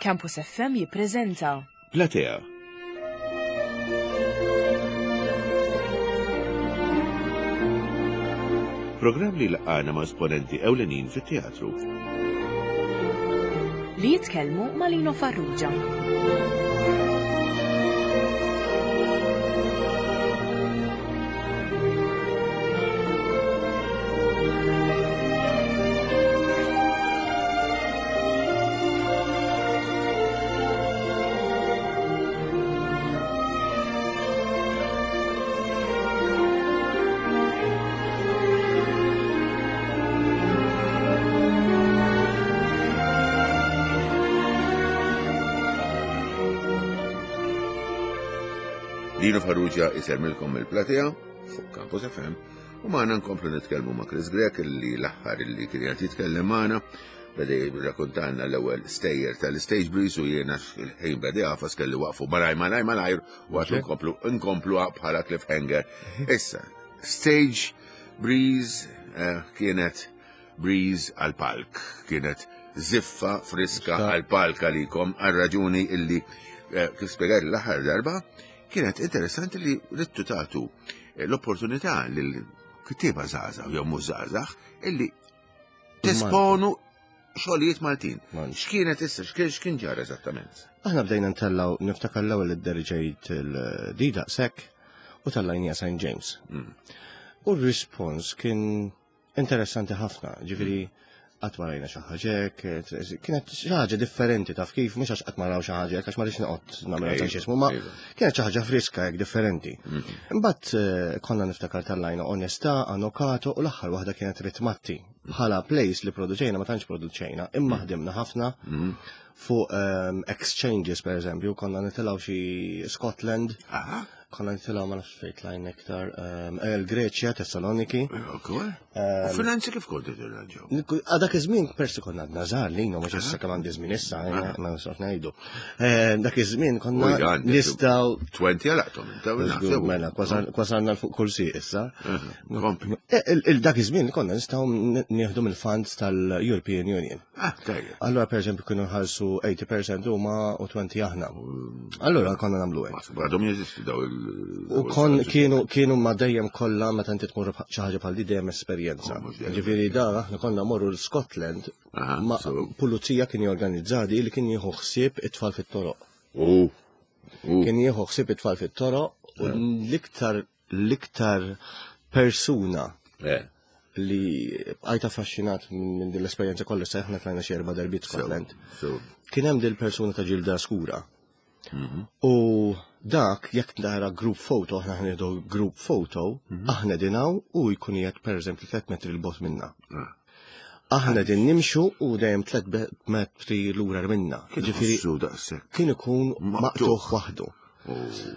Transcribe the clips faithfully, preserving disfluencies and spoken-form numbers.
Campus F M jippreżenta Platea. Programm li laqana ma' esponenti ewlenin fit-teatru. Li jitkellmu ma' Lino Farrugia. Lino Farrugia isellmilkom mill-Platea fuq Campus F M u magħna nkomplu nitkellmu ma' Chris Grech, illi l-aħħar illi kien qed jitkellem magħna beda jirrakkontanna l-ewwel stejjer tal-Stage Breeze u jiena il-ħin beda jagħfas, kelli waqfu malaj malaj malajr u għatu nkomplu nkomplu bħala cliffhanger. Issa, Stage Breeze eh, kienet breeze għal-palk, kienet ziffa friska għal-palk għalikom, għal raġuni illi eh, kif spjegajt l-aħħar darba, kienet interessanti li ridtu tagħtu eh, l-opportunità lil kittieba żgħażagħ jew mhux żgħażagħ illi tesponu xogħlijiet Maltin. X'kienet issa, x'kien x'kien ġara eżattament? Aħna bdejna ntellgħu, niftakar l-ewwel id-deriġejt il-dida sekk u tellajnieha Saint James. Mm. U r-rispons kien interessanti ħafna, ġifieri qatt ma rajna xi ħaġa hekk, kienet xi ħaġa differenti, taf kif, mhux għax qatt ma raw xi ħaġa hekk, għax ma rridx noqgħod nagħmel Ejja, xi jismu, ma ejja. kienet xi ħaġa friska hekk differenti. Mm. Imbagħad eh, konna niftakar tellajna Onestà, Anokato u l-aħħar waħda kienet Ritmatti. Bħala plays li produċejna, ma tantx produċejna, imma ħdimna ħafna Mm. fuq ehm, exchanges, per eżempju, konna nitilgħu xi Scotland, Aha, konna nitilgħu, ma nafx fejn tlajna iktar, ehm, eh, l-Greċja, Thessaloniki. Ok. U finanzi kif kontu tirranġaw? Għadak iż-żmien persi konna għadna żgħar li mhux issa kemm għandi żmien issa, eh, ma nistgħux ngħidu. Eh, Dak iż-żmien konna U għandi- nistgħu Twenty għalaqtom, inta u Żgur, mela, kwasalna l fuq kursi issa. Kompli. Eh, il- il- Dak iż-żmien konna nistgħu n- nieħdu mill-funds tal-European Union. Ah, tajjeb. Allora, per eżempju, kienu nħallsu tgħoxrin fil-mija huma u għoxrin aħna. Allora konna nagħmlu hekk. Ma għadhom jeżistu daw il- U kon kienu kienu ma dejjem kollha meta inti tmur xi ħaġa bħal di dejjem esperjenza. Oh, mhux dejjem. Ġifieri da aħna konna morru l-Scotland Aha, ma so- pulizija kien jorganizzadi li kien jieħu ħsieb it-tfal fit-toroq. U, u, Kien jieħu ħsieb it-tfal fit-toroq u l-iktar l-iktar persuna eh, li bqajt affaxxinat minn din l-esperjenza kollha, sa aħna tlajna xi erba' darbiet Scotland. So, Kien hemm dil persuna ta' ġilda skura. U dak jekk nara group photo, aħna ħnieħdu group photo, aħna dinaw u jkun qiegħed pereżempju tliet metri 'l bogħod minna. ah. Aħna din nimxu u dejjem tliet metri lura minna. Ġifieri Ħossu daqshekk. kien ikun Maqtugħ. maqtugħ waħdu. U,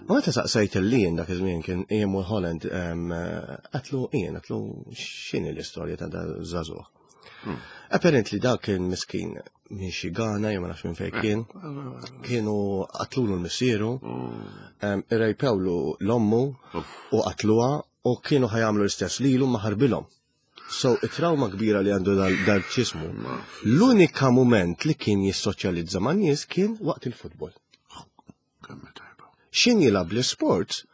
U meta saqsejt il-lien dak iż-żmien kien Ian Mulholland, em, għedtlu Ian, għedtlu x'inhi l-istorja ta' da żagħżugħ. Apparently dak kien miskin minn xi Ghana jew ma nafx minn fejn kien. Kienu qatlulu l-missieru, em, irrejpewlu l-ommu u qatluha u kienu ħa jagħmlu l-istess lilu ma ħarbilhom. So, it-trauma kbira li għandu dal- dal-ċismu. L-unika moment li kien jissoċjalizza ma' nies kien waqt il-futbol. Kemm tajba. Xin jilgħab l-sport,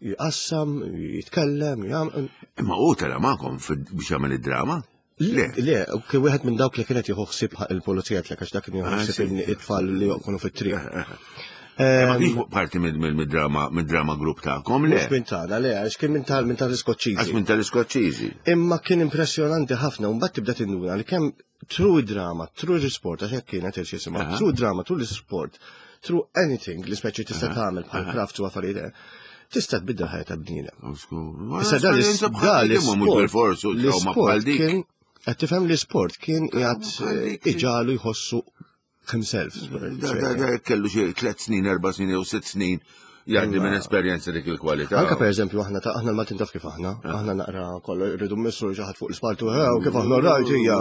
jqassam, jitkellem, jgħam. Imma u tela magħkom fid- biex jagħmel id-drama? Le. Le, kien wieħed minn dawk li kienet jieħu ħsieb il-pulizija tlek, għax dak kien jieħu Ah, ħsieb sì. it-tfal li jkunu fit-triq. Ma kienx parti mid-drama mid-drama group tagħkom, le? Mhux minn tagħna, le, għax kien minn tal minn tal-Iskoċċiżi. Għax minn tal-Iskoċċiżi. Imma kien impressjonanti ħafna, u mbagħad tibda tinduna li kemm through drama, through sport, għax hekk kienet il-xisima, Aha. through drama, through l-sport, through anything li speċi tista' tagħmel bħal craft u affarijiet, eh, tista' tbiddel ħajja ta' bniedem. Issa dan is- dan Imma mhux bil-forsu trauma bħal l-sport dik. kien, qed tifhem, l-sport kien qiegħed bħal dik. iġalu jħossu himself. Da, da, da, kellu xi tliet snin, erba' snin jew sitt snin jgħaddi minn esperjenza dik il-kwalità. Anka per eżempju aħna ta' aħna l-Maltin taf kif aħna, aħna naqra kollu rridu mmissu xi ħadd fuq l-ispaltu, u kif aħna rajt hija.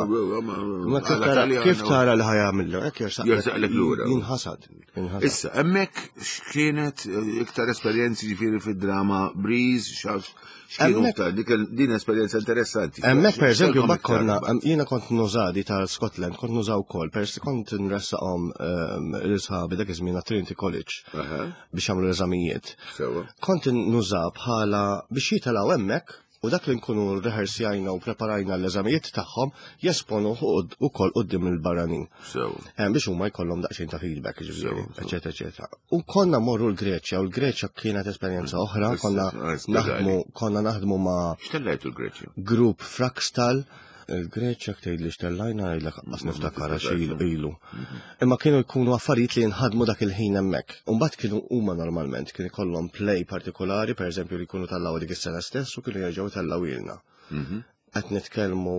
Ma kif tara kif tara li ħajamillu, hekk Jersaqlek lura. Jinħasad. Jinħasad. Issa, hemmhekk x'kienet iktar esperjenzi ġifieri fid-drama Breeze, x'kienu iktar, din esperjenza interessanti. Hemmhekk per eżempju mbagħad konna jiena kont nużadi tal-Scotland, kont nużaw ukoll, pers kont nressaqhom l-isħabi dak iż-żmien Trinity College biex jagħmlu l-eżamijiet. Kont nuża bħala biex jitilgħu hemmhekk u dak li nkunu rehearsjajna u preparajna l-eżamijiet tagħhom jesponu ukoll quddiem il-barranin. Biex huma jkollhom daqsxejn ta' feedback, ġifieri, eċetera, eċetera. U konna morru l-Greċja u l-Greċja kienet esperjenza oħra, konna naħdmu konna naħdmu ma' X'tellajtu l-Greċja? Grupp Frakstal. Il-Greċja ktejt li xtellajna għajlek qas niftakar għax ilu. Imma kienu jkunu affarijiet li jinħadmu dak il-ħin hemmhekk. U mbagħad kienu huma normalment kien ikollhom play partikolari, pereżempju li jkunu tallaw dik is-sena stess u kienu jerġgħu tallaw ilna. Qed nitkellmu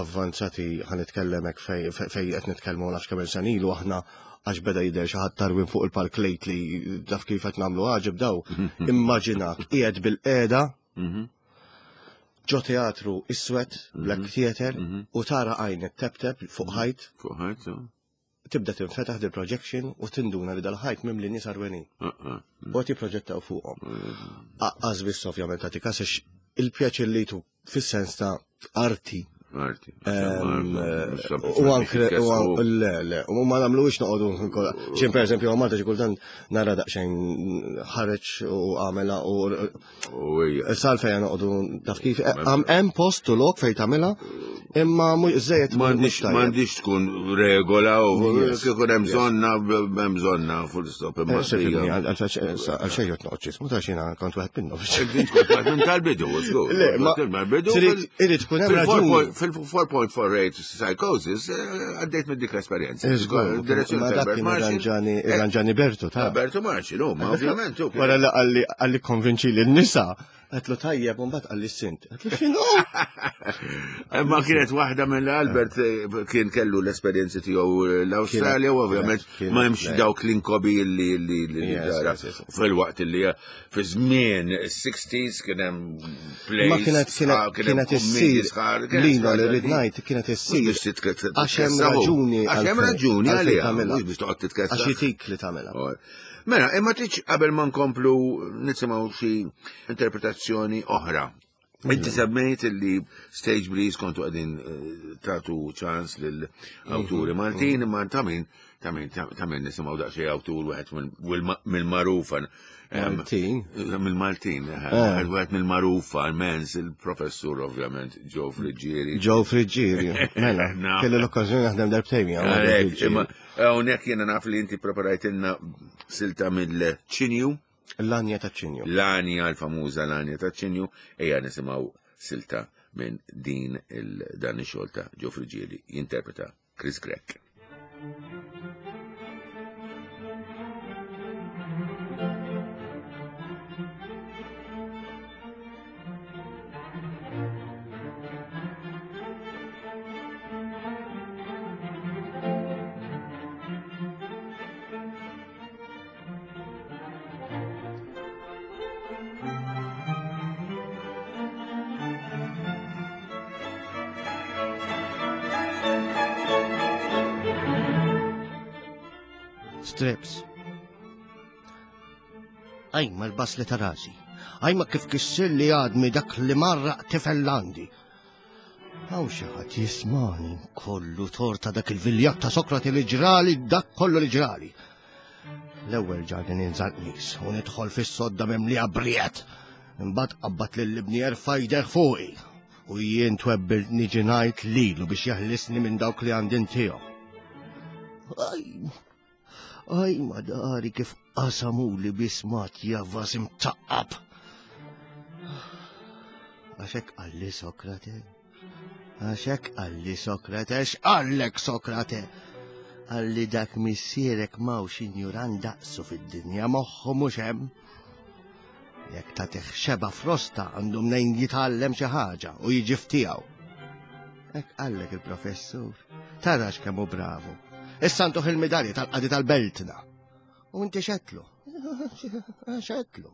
avvanzati, ħa nitkellem hekk fej qed nitkellmu nafx kemm sena ilu aħna għax beda jidher xi ħadd tarwin fuq il-park late li taf kif qed nagħmlu għaġeb daw. Immaġinak qiegħed bil-qiegħda ġo teatru iswed, Black Theater, u tara għajn tep-tep fuq ħajt. Fuq ħajt, Tibda tinfetaħ dil projection u tinduna li dal-ħajt mimli nies arwenin. U qed jipproġettaw fuqhom. Aqqas biss ovvjament tagħti każ il-pjaċir li tu fis-sens ta' arti. Arti. U anke le le, u ma nagħmluhiex noqogħdu xejn per eżempju Malta xi kultant nara daqsxejn ħareġ u għamela u sal fejn noqogħdu taf kif hemm post u lok fejn tagħmilha imma żejjed m'għandix tkun regola u kieku hemm bżonna hemm bżonna full stop imma. Għal xejn qed noqgħod x'ismu ta' xina kont wieħed minnhom. Minn tal-bidu, żgur. Irid tkun hemm raġuni. Fil-four point four eight psychosis, għaddejt minn dik l-esperjenza. Ma dak kien Ranġani Bertu, ta' Bertu Marxi, no, ma ovvjament. Wara li għalli konvinċi li n-nisa, għetlu tajjeb, un bat għalli s-sint. Għetlu xinu? Ma kienet waħda minn Albert kien kellu l-esperjenzi tiegħu l-Awstralja, u ovvjament ma hemmx dawk l-inkobi li li tara. Fil-waqt li fi żmien is-sixties kien hemm plays. Ma kienet kienet issir Lino li rrid ngħid kienet issir. Għax hemm raġuni. Għax hemm raġuni għaliha, mhux biex toqgħod titkessa. Għax jitik li tagħmilha. Mela, imma tridx qabel ma nkomplu nisimgħu xi interpretazzjoni oħra. Inti semmejt li Stage Breeze kontu qegħdin tagħtu ċans lil awturi Maltin, imma ta' min ta' min ta' min nisimgħu daqsxejn awtur wieħed mill-magħrufa. Maltin? Mill-Maltin, wieħed mill-magħrufa immens, il-professur ovvjament Joe Friggieri. Joe Friggieri, mela, kelli l-okkażjoni naħdem darbtejn miegħu. Hawnhekk jiena naf li inti preparajtilna silta mill-Ċinju. L-Anja ta' ċinju. L-Anja, l-famuża l-Anja ta' ċinju, ejja nisimgħu silta minn din dan ix-xogħol ta' Joe Friggieri jinterpreta Chris Grech. Strips. Ajma l-basli ta' rasi. Ajma kif kissir li għadmi dak li marraq tifel għandi. Għaw xi ħadd jismani kollu torta dak il-viljat ta' Sokrati li ġrali dak kollu li ġrali. L-ewwel ġarni ninżal qmis u nidħol fis-sodda mimlija briet. Imbagħad qabbat lil ibni jerfa' jdeh fuqi u jien twebbilt niġi ngħid lilu biex jeħlisni minn dawk li għandin tiegħu. Aj, aj madari kif qasamuli bismat javas imtaqqab. Għaxek qalli Sokrate, għaxek qalli Sokrate, x'qallek Sokrate? Qalli dak missierek m'hawnx injuran daqsu fid-dinja moħħu mhux hemm. Jekk tagħtih xeba frosta għandu mnejn jitgħallem xi ħaġa u jiġi ftiegħu. Hekk qallek il-professur, tarax kemm hu bravu. Issa ntuh il-midalja tal-qadi tal-beltna. U inti xetlu. X'għedtlu?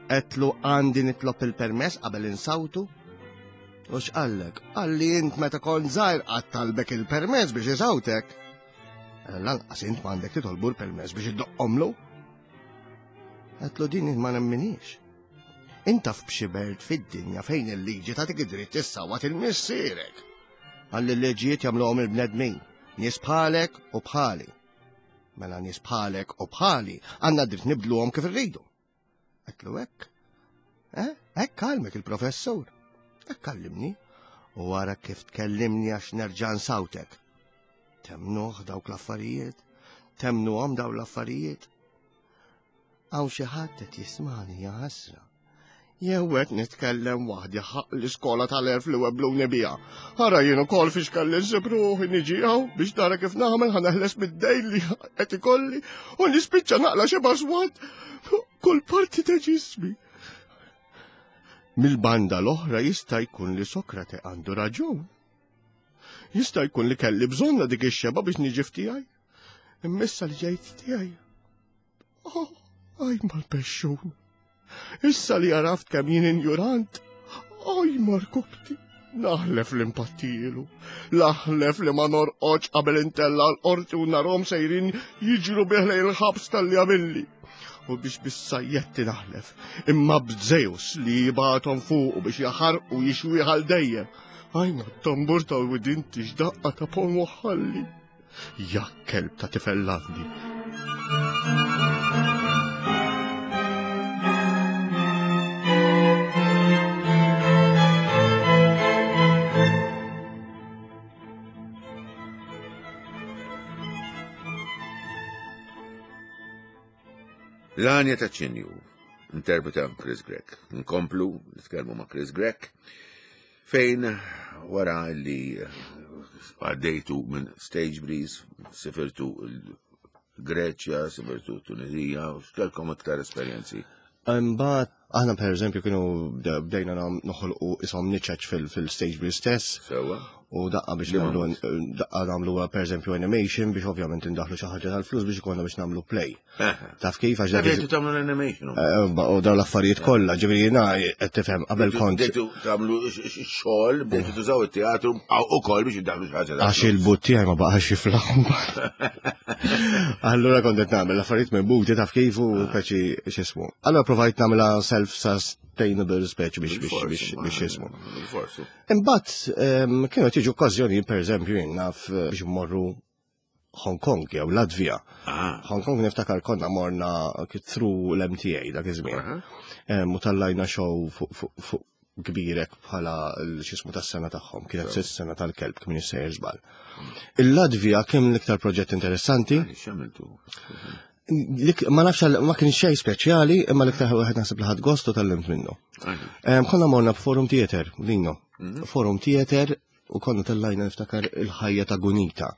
Għedtlu għandi nitlob il-permess qabel insawtu? U x'qallek? Qalli int meta kont żgħir qatt talbek il-permess biex isawtek. Lanqas int m'għandek titolbu l-permess biex iddoqqomlu. Għedtlu din ma nemminix. Int taf b'xi belt fid-dinja fejn il-liġi tagħtik id-dritt issawat il-missierek. Qalli l-liġijiet jagħmluhom il-bnedmin, nies bħalek u bħali. Mela nies bħalek u bħali għandna dritt nibdluhom kif irridu. Għedtlu hekk. Eh? Hekk kalmek il-professur. Hekk kallimni. U wara kif tkellimni għax nerġa' nsawtek. Temnuh dawk l-affarijiet? Temnuhom dawk l-affarijiet? Hawn xi ħadd qed jismani ja ħasra. Jew qed nitkellem waħdi ħaq l-iskola tal-erf li webluni biha. Ara jien ukoll fiex kelli nsib ruħi niġi hawn biex nara kif nagħmel ħa neħles mid-dejn li qed ikolli u nispiċċa naqla xi baswat kull parti ta' ġismi. Mill-banda l-oħra jista' jkun li Sokrate għandu raġun. Jista' jkun li kelli bżonna dik ix-xeba biex niġi f'tiegħi. Imma issa li ġejt tiegħi. Oh, aj mal-pexxun. Issa li għaraft kemm jien injurant, aj markubti, naħlef li mpattilu, naħlef li ma norqodx qabel intella l-qorti u narhom sejrin jiġru bih lejn il-ħabs tal-li għamilli. U biex bis-sajjetti naħlef, imma b'Zeus li jibgħathom fuqu biex jaħarqu jixwih għal dejjem. Aj ma tambur ta' widinti x'daqqa ta' pon waħalli. Ja kelb ta' tifellandi. L-għanja ta' ċinju, interpreta Chris Grech. Nkomplu, nitkellmu ma' Chris Grech, fejn wara li għaddejtu minn Stage Breeze, sifirtu l-Greċja, sifirtu Tunizija, u x'kellkom iktar esperjenzi? Imbagħad aħna per eżempju kienu bdejna noħolqu ishom niċeċ fil-Stage Breeze stess. Sewa. U daqqa biex nagħmlu daqqa nagħmlu per eżempju animation biex ovvjament indaħlu xi ħaġa tal-flus biex ikollna biex nagħmlu play. Taf kif għax dak. Bdejtu tagħmlu l-animation. U dawn l-affarijiet kollha, ġifieri jiena qed tifhem qabel kont. Bdejtu tagħmlu xogħol, bdejtu tużaw it-teatru ukoll biex indaħlu xi ħaġa. Għax il-but tiegħi ma baqax jiflaħ. Allura kont qed nagħmel l-affarijiet minn buti taf kif u peċi x'ismu. Allura provajt nagħmilha self-sustainable speċi biex biex biex biex jismu. Imbagħad kienu tiġu okkażjoni pereżempju jien naf biex mmorru Hong Kong jew Latvija. Hong Kong niftakar konna morna through l-M T A dak iż-żmien. U tellajna show fuq kbirek bħala l-xismu tas-sena tagħhom, kienet sitt sena tal-kelb kien jissejjer żball. Il-Latvija kien l-iktar proġett interessanti. Ma nafx, ma kien xejn speċjali, imma l-iktar wieħed naħseb li ħadt gost u tgħallimt minnu. Konna morna b'Forum Theater, Lino. Forum Theater u konna tellajna niftakar il-ħajja ta' Gunita.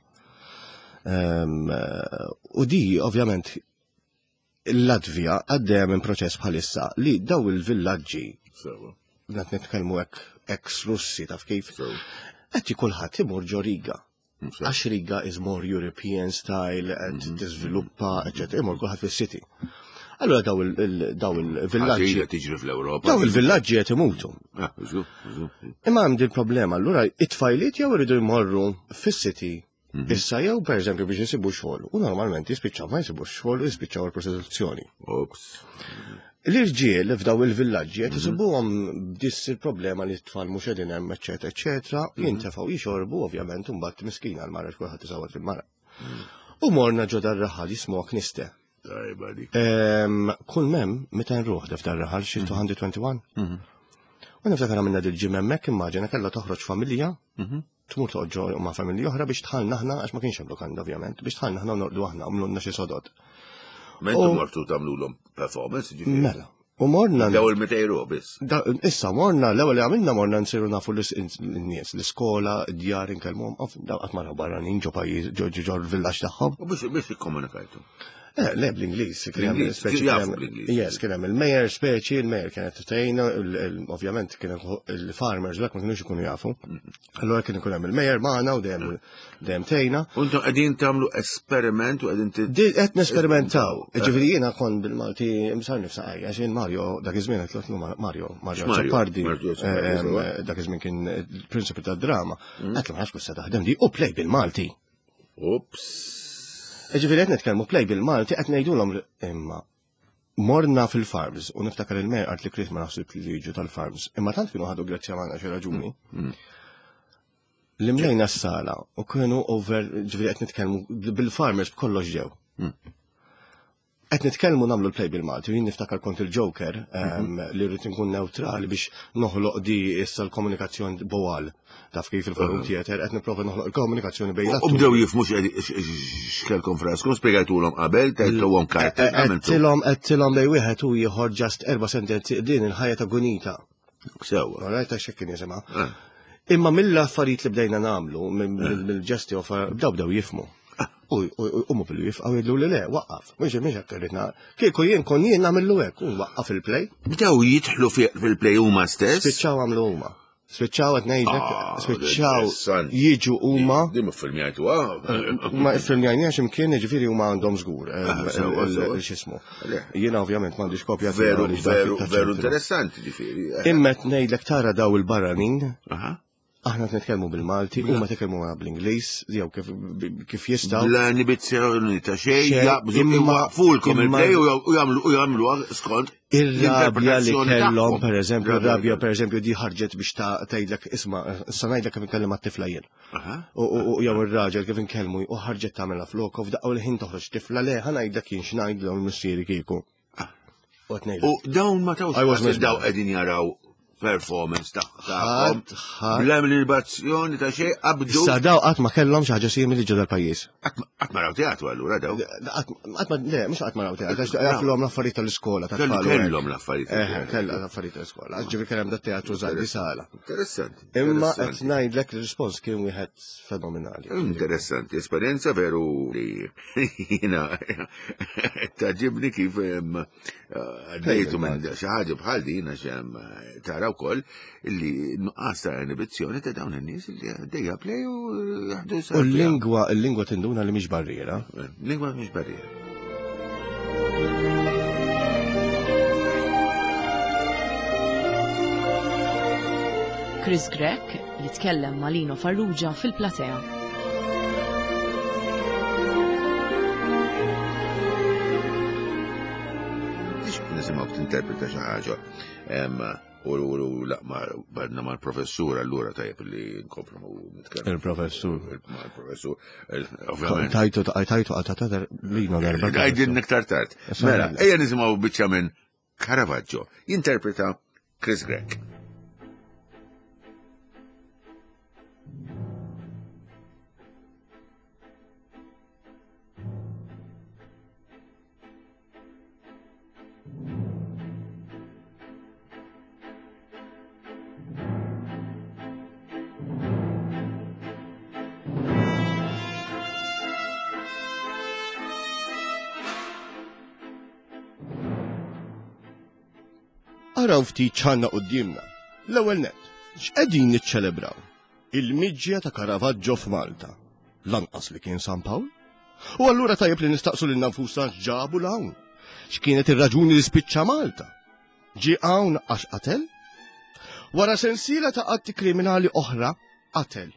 U di, ovvjament, il-Latvija għaddejja minn proċess bħalissa li daw il-villaġġi, qed nitkellmu hekk ex-Russi taf kif, qed kulħadd imur ġo Riga. Għax Riga is more European style, qed tiżviluppa, eċetera, imur kulħadd fis-city. Allora daw il-villaġġi. Tiġri fl-Ewropa. Daw il-villaġġi qed imutu. Imma għandi il-problema, allura it-tfajliet jew iridu jmorru fis-city issa jew per eżempju biex jisibu xogħol u normalment jispiċċaw ma jisibu xogħol u jispiċċaw il-prostituzzjoni. L-irġiel f'daw il-villaġġi qed isibuhom b'dis il-problema li t-tfal mhux qegħdin hemm, eċetera, eċetera, jintefgħu jixorbu ovvjament u mbagħad miskina l-mara kulħadd isawwat fil-mara. U morna ġo dar-raħal jismu Kniste. Kull mem, meta nruħ def dar-raħal xi two twenty-one. U niftakar għamilna dil-ġimgħa hemmhekk, immaġina kellha toħroġ familja, tmur toqgħod ma' familja oħra biex tħallna aħna, għax ma kienx hemm lukanda ovvjament, biex tħallna aħna norqdu aħna, għamlulna xi sodod. Mentu mortu tagħmlulhom performance, ġifieri. Mela. U morna. Daw il-mitejn ruħ biss. Issa morna, l-ewwel li għamilna morna nsiru nafu l-nies, l-iskola, id-djar inkellmuhom, qatt ma raw barranin ġo pajjiż, ġo ġo l-villaġġ tagħhom. U biex biex ikkomunikajtu. Eh, le, bl-Ingliż. Kien hemm Bl-Ingliż, speċi jafu kien hemm- bl-Ingliż. Yes, kien hemm il-mayor speċi, il-mayor kienet tgħinna, il- il- ovvjament kien hemm il-farmers dak ma kienux ikunu jafu. Allora kien ikun hemm il-mayor magħna u dejjem dejjem tgħinna. U intom qegħdin tagħmlu esperiment u qegħdin ti- Di qed nesperimentaw. Ġifieri jiena kont bil-Malti imsar nifsa għajja, għax jien Mario dak iż-żmien qed nagħtlu Mario, Mario X'Mario? Azzopardi, Mario Azzopardi, eh, sewwa. eh, dak iż-żmien kien il-prinċipju tad-drama. Qed ma nafx kif se taħdem di u play bil-Malti. Ups. Ġifieri qed nitkellmu play bil-Malti qed ngħidulhom imma morna fil-farms u niftakar il-mer qalt li Chris ma naħsib li jiġu tal-farms. Imma tant kienu ħadu grazzja magħna xi raġuni. Li mlejna s-sala u kienu over, ġifieri qed nitkellmu bil-farmers b'kollox ġew. Qed nitkellmu nagħmlu l-play bil-Malti, u jien niftakar kont il-Joker em, li rrid inkun neutrali biex noħloq di issa l-komunikazzjoni bowal. Taf kif il-Forum Theater qed nipprova noħloq il-komunikazzjoni bejn U l-atturi. bdew jifhmu x'kelkom fraskom, spjegajtulhom qabel, tajtuhom karta, għamiltu. Għedtilhom għedtilhom bej wieħed u ieħor just erba' sentenzi din il-ħajja ta' Gunita. Sewwa. Alright, għax hekk kien jisimha. Ah. Imma mill-affarijiet li bdejna nagħmlu, mill-ġesti u bdew bdew jifhmu. U u- u mu billu jifqgħu jgħidu li le, waqqaf. Mhux mhux hekk irrid Kieku jien kon jien nagħmillu hekk, u waqqaf il-play. Bdew jidħlu fi- fil-play huma stess. Spiċċaw għamlu huma. Spiċċaw qed ngħidlek, Ah, spiċċaw interessanti. jiġu huma. Di ma filmjajtu, ah. Ma filmjajniex imkien, ġifieri huma għandhom żgur. Ah, sewwa, sewwa. X'ismu. Le. Jiena ovvjament m'għandix kopja tiegħu Veru, għaliex dak veru, ta' veru ċentru. interessanti ġifieri. eh. Imma qed ngħidlek tara daw il-barranin, Aha. aħna qed nitkellmu bil-Malti, huma tkellmu magħna bl-Ingliż, jew kif kif jistgħu. Bla inibizzjoni ta' xejn, Xejn, jaqbżu imma- iwaqfulkom imma- il-play u u jagħmlu u jagħmluha skont Ir-rabja li l-interpretazzjoni kellhom, tagħhom. per eżempju, ir-rabja per eżempju di ħarġet biex ta' tgħidlek isma' issa ngħidlek kif inkellem għat-tifla jien. Aha. U u- u jew ir-raġel kif inkellmu u ħarġet tagħmilha flok u f'daqqa l-ħin toħroġ tifla le ħa ngħidlek jien x'ngħidlhom missieri kieku. U qed ngħidlek. U dawn ma tawx I was qas daw mesmerized. qegħdin jaraw performance ta' tagħhom. Ħadd ħadd Bla libazzjoni ta' xejn qabdu. Issa daw qatt ma kellhom xi ħaġa simili ġo dal-pajjiż. Qatt ma raw teatru allura daw. Qatt ma le, mhux qatt ma raw teatru, għax jaflhom l-affarijiet tal-iskola Kellu tat-tfal. u hekk. kellhom l-affarijiet. Eh, kellha l-affarijiet tal-iskola. Ġifieri kellhom dat teatru żgħar di sala. Interessanti. Imma qed interessanti. ngħidlek ir-rispons kien wieħed fenomenali. Interessanti, esperjenza veru li jina taġibni kif em, għaddejtu minn xi ħaġa bħal din għax em, tara wkoll illi nuqqas ta' inibizzjoni ta' dawn in-nies li għaddejja play u jaħdu U l-lingwa, l-lingwa tinduna li mhix barriera. Lingwa mhix barriera. Chris Grech jitkellem ma' Lino Farrugia fil-platea. Nisimgħu tinterpreta xi ħaġa. Em, U u la barna mal-professur allura tajjeb li nkomplu nitkellmu. Il-professur. Mal-professur. Ovvjament. Tajtu tajtu għatata Lino darba. Għajdin iktar tard. Mela, ejja nisimgħu biċċa minn Caravaggio. Jinterpreta Chris Grech. Araw ftit ċanna qudiemna. L-ewwel net, x'qegħdin niċċelebraw? Il-miġja ta' Caravaggio f'Malta. Lanqas li kien San Pawl. U allura tajjeb li nistaqsu lil nfusna x'ġabu l hawn. X'kienet ir-raġuni li spiċċa Malta? Ġie hawn għax qatel? Wara sensiela ta' atti kriminali oħra, qatel.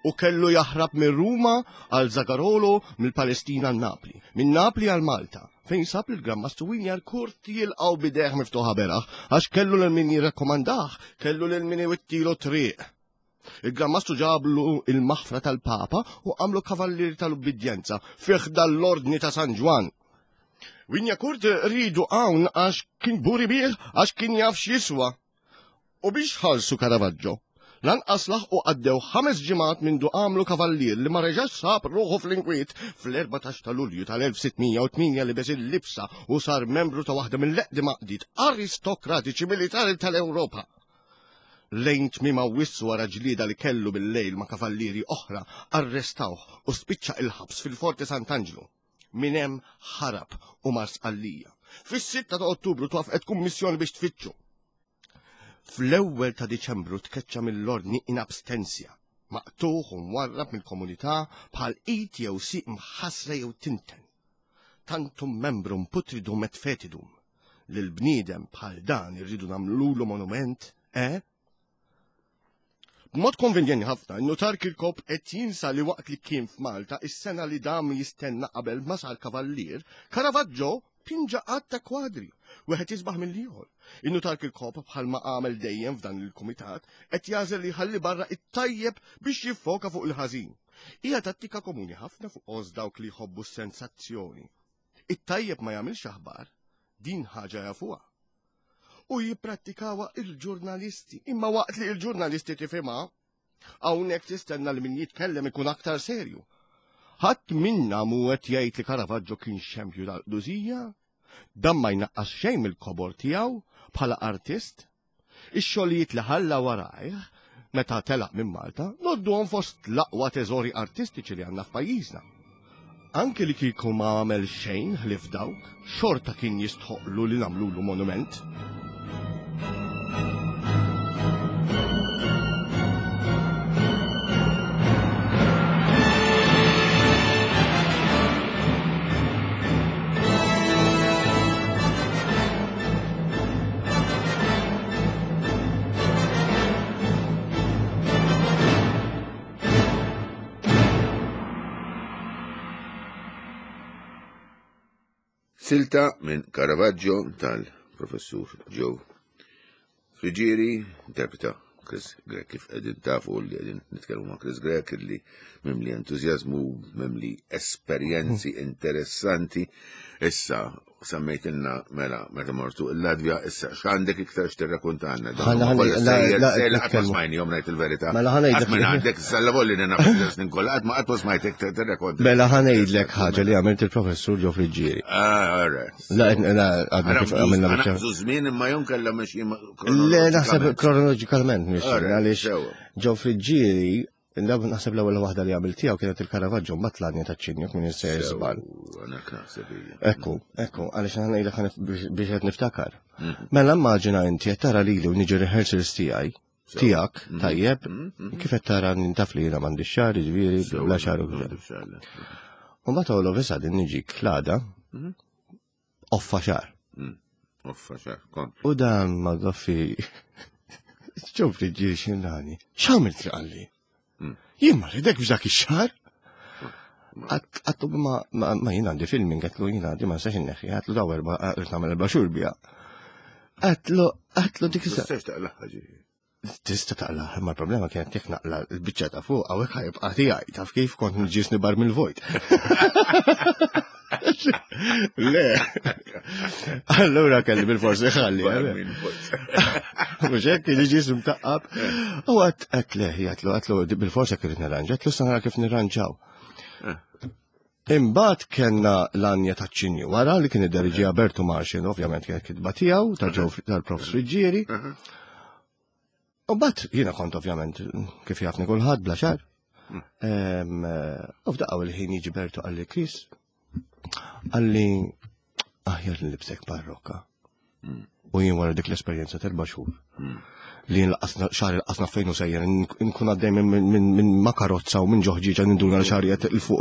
U kellu jaħrab minn Ruma għal Zagarolo mill-Palestina għal Napli, minn Napli għal Malta, fejn sab il-Gran Mastru Wignacourt jilqgħu bidejh miftuħa beraħ, għax kellu lil min jirrakkomandah, kellu lil min iwittilu triq. Il-Gran Mastru ġablu il-maħfra tal-Papa u għamlu kavallieri tal-ubbidjenza fih dal-ordni ta' San Ġwan. Wignacourt ridu hawn għax kien buri bih, għax kien jaf x'jiswa. U biex ħalsu Caravaggio. Lanqas laħqu għaddew ħames ġimgħat mindu għamlu kavallier li ma reġax sab ruħu fl-inkwiet fl-erbatax ta' Lulju tal-elf sitt mija u tmienja libes il-libsa u sar membru ta' waħda mill-eqdem għaqdiet aristokratiċi militari tal-Ewropa. Lejn tmiem Awwissu wara ġlieda li kellu bil-lejl ma' kavallieri oħra arrestawh u spiċċa il-ħabs fil-Forti Sant'Angelo. Minn hemm ħarab u mar Sqallija. Fis-sitta ta' Ottubru twafqet kummissjoni biex tfittxu. Fl-ewwel ta' Diċembru tkeċċa mill-ordni in abstenzja, maqtuħ u mwarrab mill-komunità bħal id jew sieq mħassra jew tinten. Tantum membrum putridum et fetidum. Lil bniedem bħal dan irridu nagħmlulu monument, eh? B'mod konvenjenti ħafna, in-nutar Kirkop qed jinsa li waqt li kien f'Malta is-sena li dam jistenna qabel ma sar kavallier, Caravaggio pinġa qatt ta' kwadri, wieħed jisbaħ mill-ieħor. In-nutar Kirkop bħalma għamel dejjem f'dan il-kumitat qed jażel li jħalli barra it-tajjeb biex jiffoka fuq il-ħażin. Hija tattika komuni ħafna fuq oż dawk li jħobbu s-sensazzjoni. It-tajjeb ma jagħmilx aħbar, din ħaġa jafuha. U jipprattikawha il-ġurnalisti. Imma waqt li il-ġurnalisti tifhimha, hawnhekk tistenna li min jitkellem ikun aktar serju. Ħadd minna mhu qed jgħid li Caravaggio kien xempju tal-qdusija, dan ma jnaqqas xejn mill-kobor tiegħu bħala artist. Ix-xogħlijiet li ħalla warajh meta telaq minn Malta nodduhom fost l-aqwa teżori artistiċi li għandna f'pajjiżna. Anke li kieku ma għamel xejn ħlief dawk, xorta kien jistħoqlu li nagħmlulu monument. Silta minn Caravaggio tal-professur Joe Friggieri, interpreta Chris Grech, kif qegħdin tafu li qegħdin nitkellmu ma' Chris Grech li mimli entużjażmu, mimli esperjenzi interessanti. Issa semmejtilna mela meta mortu il-Latvja, issa x'għandek iktar x'tirrakkontanna? Ħana- ħana- la- la- Qatt ma nitkellmu. smajnihom ngħid il-verità. Mela ħa ngħidlek- Qatt minn għandek issa volli naf snin kollha, qatt ma qatt ma smajtek tirrakkonta. Mela ħa ngħidlek ħaġa li għamilt il-professur Joe Friggieri. Ah, all right. La, la, għadna kif għamilna biċċa. Naqbżu żmien imma jum kellha mexi Le, naħseb kronoloġikalment mhix Alright, għaliex sewa. Joe Friggieri, naħseb l-ewwel waħda li għamilt tiegħu kienet il-Caravaggio mbagħad l-Anja taċ-Ċinju minn sejjer żball. Ekku, ekku, għaliex aħna ngħidlek ħa biex biex qed niftakar. Mela immaġina inti qed tara lili u niġi rehearsals tiegħi, tiegħek, tajjeb, kif qed tara nintaf li jiena m'għandix xagħar, jiġifieri bla xagħar u kif. U mbagħad all of a sudden niġik l-għada, offa xagħar. Offa xagħar, kont. U dan ma doffi Joe Friggieri xinrani. X'għamilt li qalli? Jien ma rridek b'dak ix-xagħar. Għedtlu ma ma jien għandi filming, għedtlu jien għandi ma nistax inneħħi, għedtlu daw erba' rrid nagħmel erba' xhur biha. Għedtlu għedtlu dik is Tistax taqlaħ ġifieri. Tista' taqlaħ, imma l-problema kienet jekk naqla l-biċċa ta' fuq hawnhekk ħa jibqa' tiegħi, taf kif kont nġisni bar mill-vojt. Le. Allura kelli bil-forsi ħalli. Mhux hekk kien jiġi mtaqqab. U għat għat le, għatlu għatlu bil-forsa kif nirranġa, għatlu sa nara kif nirranġaw. Imbagħad kellna l-Anja taċ-Ċinju wara li kien idderġi Bertu Marxin, ovvjament kienet kitba tiegħu ta' ġew tal-Prof Friggieri. U mbagħad jiena kont ovvjament kif jafni kulħadd bla xagħar. U f'daqqa il-ħin jiġi Bertu qalli Chris, qalli aħjar nlibsek parrokka. U jien wara dik l-esperjenza t'erba' xhur. Li nlaqqasna xagħri laqasna fejn u sejjer nkun għaddej minn ma' karozza u minn ġoħġiġa ninduna li xagħri qed il fuq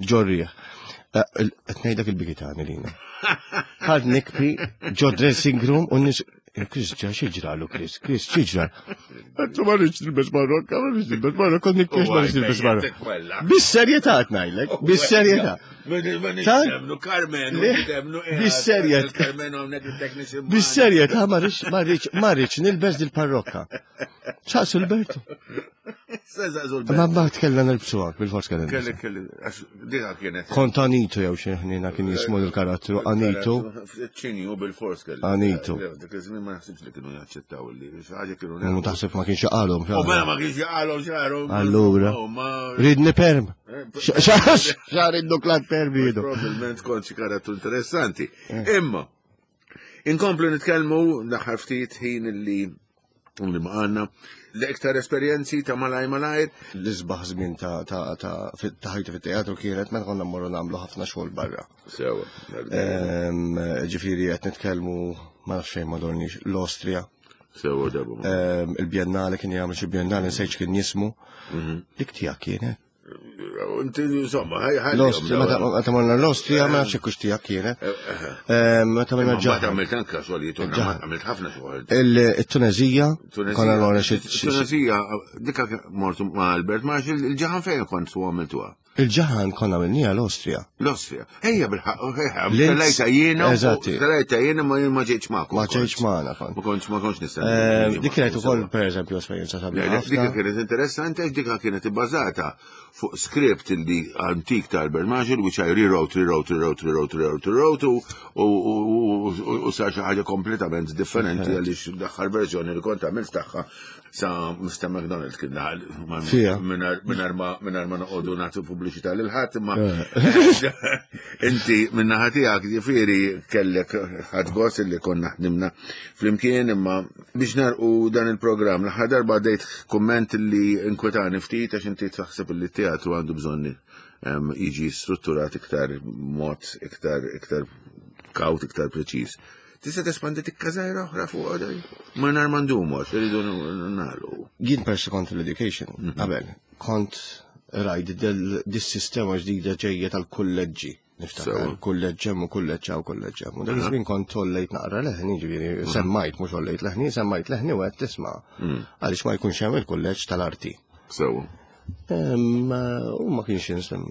ġorrieħ. Qed ngħidlek il-bikitani lina. Ħad nikbi ġo dressing room u nis Chris ġa xi ġralu Chris, Chris xi ġra. Għedtlu ma rridx nilbes marrokka, ma rridx nilbes marrokka, nikkex ma rridx nilbes marrokka. Bis-serjetà qed ngħidlek, bis-serjetà. Bis-serjetà. Bis-serjetà ma rridx ma rridx ma rridx nilbes dil-parrokka. Saqsu l-Bertu. Ma mbagħad kellna nilbsuha bil-fors kellna. Kelli kelli għax dika kienet. Kont Anitu jew xi ħnina kien jismu l-karattru Anitu. Ċinju bil-fors kelli. Anitu. Dak iż-żmien ma naħsibx li kienu jaċċettaw li xi ħaġa kienu. Mu taħseb ma kienx jaqalhom. U mela ma kienx jaqalhom xagħarhom. Allura. Ridni perm. Xagħar id-duklat perm jidu. Probabilment kont xi karattru interessanti. Imma inkomplu nitkellmu l-aħħar ftit ħin li Li ma għandna l-iktar esperjenzi ta' malaj malajr. L-isbaħ żmien ta' ta' ta' ta' ħajti fit-teatru kienet meta konna mmorru nagħmlu ħafna xogħol barra. Sewa. Ehm, Ġifieri qed nitkellmu ma nafx fejn ma dorniex l-Awstrija. Sewa darba. Ehm, Il-Biennale kien jagħmel xi Biennale nsejt kien jismu. Dik tiegħek kienet. Inti insomma, ħaj ħaj. L-Awstrija, meta meta morna l-Awstrija ma nafx hekk hux tiegħek kienet. Ehm, Meta morna Ma ġaħan. għamilt anka xogħlijiet, għamilt ħafna xogħol. Il-Tunezija, konna morna xi xi- Tunezija, dikka mortu ma' Albert Marshall, il-ġaħan fejn kont su għamiltuha? Il-ġaħan konna għamilniha l-Awstrija. L-Awstrija. Ejja bil-ħaq, Linz. telajta jiena, Eżatti. telajta jiena ma jien ma ġejtx magħkom. Ma ġejtx magħna kont. Ma kontx ma kontx nistenna. Ehm, Dik kienet ukoll pereżempju esperjenza Le, sabiħa le, Dika ħafna. kienet interessanti għax dika kienet ibbażata fuq script li antik ta' Albert Marshall, which I rewrote, rewrote, rewrote, rewrote, rewrote, rewrote, u- u- u u- u sar xi ħaġa kompletament differenti għaliex l-aħħar verżjoni li kont għamilt tagħha sa Mister McDonald kien daħal ma- Fija. mingħajr mingħajr ma mingħajr ma noqogħdu nagħtu pubbliċità lil ħadd imma inti min-naħa tiegħek ġifieri kellek ħadd gost li konna ħdimna flimkien imma biex narqu dan il-programm l-aħħar darba għaddejt kumment li inkwetani ftit għax inti taħseb li t-teatru għandu bżonn em, jiġi strutturat iktar mod iktar iktar kawt iktar preċiż. Tista' tespandi tikka żgħira oħra fuq għadaj? Ma nar mandumu għax irridu nagħlqu. Jien persi kont l-education, qabel, kont rajt dis-sistema ġdida ġejja tal-kulleġġi. Niftakar, Sewa. kulleġġ hemm u kulleġġ hawn u kulleġġ hemm. U dak iż-żmien kont tollejt naqra leħni, ġifieri semmajt mhux ollejt leħni, semmajt leħni u qed tisma' għaliex ma jkunx hemm il-kulleġġ tal-arti. Sewa. Em, U ma kienx insem,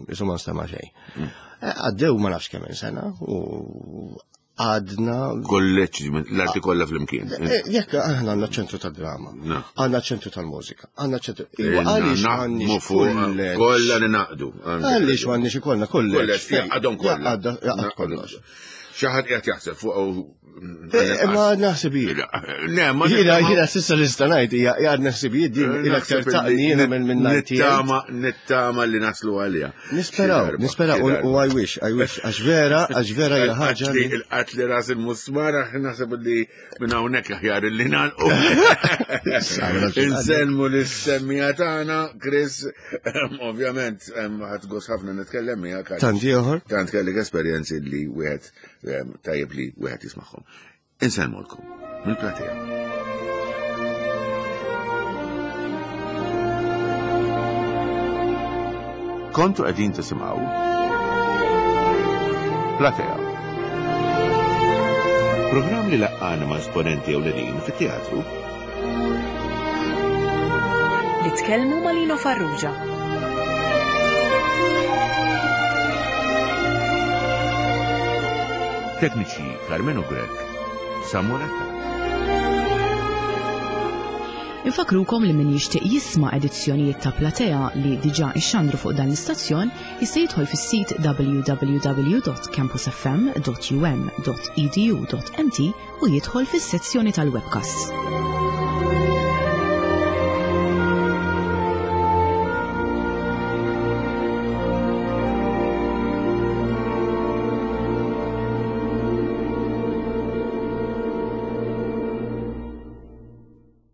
insomma nstema' xejn. Eh, Għaddew ma nafx kemm sena u għadna Kolleġġ l-arti kollha flimkien. Eh, Jekk aħna għandna ċentru tad-drama, No. għandna ċentru tal-mużika, għandna ċentru. Iwa, għaliex Naħdmu m'għandniex fuq kulleġġ? kollha ninaqdu. Għaliex m'għandniex ikollna kulleġġ? Kulleġġ, jaqgħadhom kollha. Jaqgħad jaqgħad kollox. Xi ħadd qiegħed jaħseb fuq Eh, Ma naħseb jien. Le, ma Jiena jiena s'issa nista' ngħid hija għadna ħsibijiet din il-aktar taqni jiena minn minn ninety eight. Nittama, nittama li naslu għalija. Nisperaw, Xi darba, nisperaw xi u darba. u I wish, I wish, għax vera, għax vera hija ħaġa li- Il-qatli ras il-musmar, naħseb li minn hawnhekk aħjar li nagħlqu. Insellmu lis-semmija tagħna, Chris, ovvjament, ħadd gost ħafna nitkellem miegħek. għax Tant ieħor. Tant kellek esperjenzi li wieħed em, tajjeb li wieħed jismagħhom. Insellmulkom mill-platea. Kontu qegħdin tisimgħu Platea. Programm li laqqana ma' esponenti ewlenin fit-teatru Li tkellmu ma' Lino Farrugia. Tekniċi Carmenu Grech, Samuel Attard. Infakrukom li min jixtieq jisma' edizzjonijiet ta' Platea li diġà ixxandru fuq dan l-istazzjon jista' jidħol fis-sit w w w dot campus f m dot u m dot e d u dot m t u jidħol fis-sezzjoni tal-webcasts.